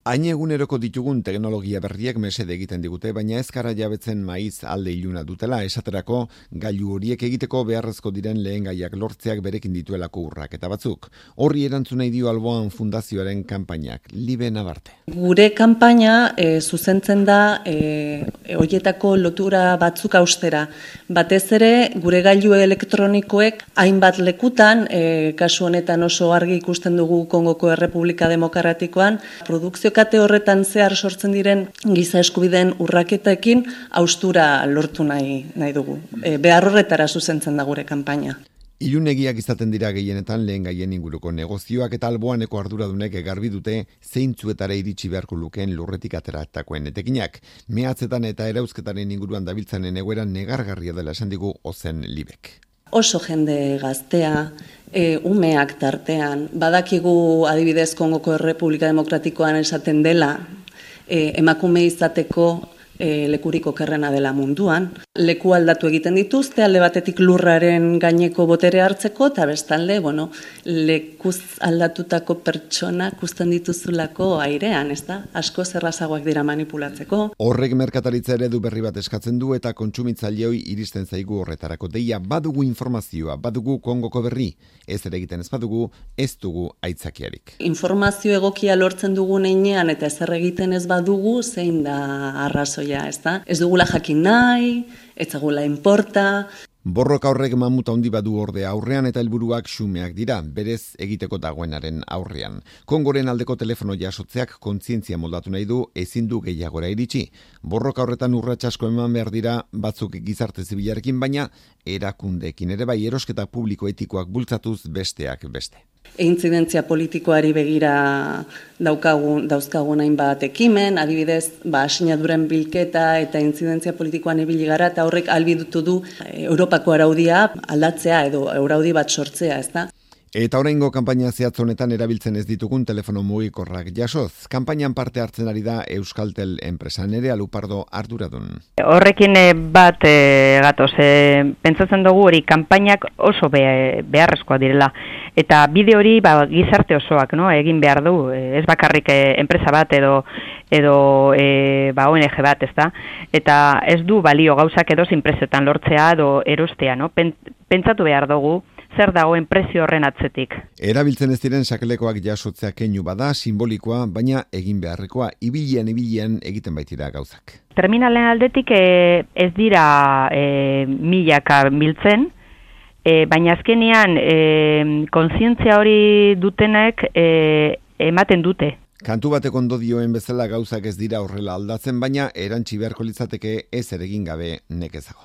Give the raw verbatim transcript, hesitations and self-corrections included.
Hain eguneroko ditugun teknologia berriek mesede egiten digute, baina ez gara jabetzen maiz alde iluna dutela, esaterako gailu horiek egiteko beharrezko diren lehen gaiak lortzeak berekin dituelako urrak eta batzuk. Horri erantzun nahi dio Alboan Fundazioaren kanpainak, Libe Nabarte. Gure kanpaina e, zuzentzen da e, horietako lotura batzuk austera. Batez ere, gure gailu elektronikoek hainbat lekutan, e, kasu honetan oso argi ikusten dugu Kongoko Errepublika Demokratikoan, produkzio kate horretan zehar sortzen diren giza eskubideen urraketekin haustura lortu nahi, nahi dugu. E, behar horretara zuzentzen da gure kanpaina. Ilunegiak izaten dira gehienetan lehen gaien inguruko negozioak eta Alboaneko arduradunek garbi dute zeintzuetara iritsi beharko lukeen lurretik ateratakoen etekinak. Mehatzetan eta erauzketaren inguruan dabiltzanen egoeran negargarria dela esan digu Ozen Libek. Oso jende gaztea, e, umeak tartean, badakigu adibidez Kongoko Errepublika Demokratikoan esaten dela, e, emakume izateko e, lekurik okerrena dela munduan. Leku aldatu egiten dituzte, alde batetik lurraren gaineko botere hartzeko, eta bestalde, bueno, lekuz aldatutako pertsonak uzten dituzulako airean, ez da? Asko zerrazagoak dira manipulatzeko. Horrek merkataritza eredu berri bat eskatzen du eta kontsumitzaileoi iristen zaigu horretarako deia, badugu informazioa, badugu Kongoko berri, ez ere egiten ez badugu, ez dugu aitzakiarik. Informazio egokia lortzen dugun heinean eta ezer egiten ez badugu, zein da arrazoia, ez da? Ez dugula jakin nahi, ez zagula inporta. Borroka horrek mamuta handi badu ordea aurrean eta helburuak xumeak dira, berez egiteko dagoenaren aurrean. Kongoren aldeko telefono jasotzeak kontzientzia moldatu nahi du, ezin du gehiagora iritsi. Borroka horretan urrats asko eman behar dira batzuk gizarte zibilarekin, baina erakundeekin ere bai erosketa publiko etikoak bultzatuz besteak beste. Intzidentzia politikoari begira daukagun, dauzkagun hainbat ekimen, adibidez, ba, sinaduren bilketa eta intzidentzia politikoan ibili gara, eta horrek ahalbidetu du Europako araudia aldatzea edo araudi bat sortzea, ez da? Eta oraingo kanpaina zehatz honetan erabiltzen ez ditugun telefono mugikorrak jasoz. Kanpainan parte hartzen ari da Euskaltel enpresan ere Alupardo arduradun. Horrekin bat e, gatoz, e, pentsatzen dugu hori kanpainak oso be, beharrezkoa direla. Eta bide hori ba, gizarte osoak no, egin behar du, ez bakarrik e, enpresa bat edo edo e, ba, O N G bat, ez da? Eta ez du balio gauzak edo zinprezetan lortzea edo erostea, no? Pentsatu behar dugu, zer dagoen prezio horren atzetik. Erabiltzen ez diren sakelekoak jasotzea keinu bada, simbolikoa, baina egin beharrekoa, ibilian ibilian egiten baitira gauzak. Terminalen aldetik e, ez dira e, milaka biltzen, e, baina azkenean e, kontzientzia hori dutenek e, ematen dute. Kantu batek ondo dioen bezala gauzak ez dira horrela aldatzen, baina erantsi beharko litzateke ez ere egin gabe nekezago.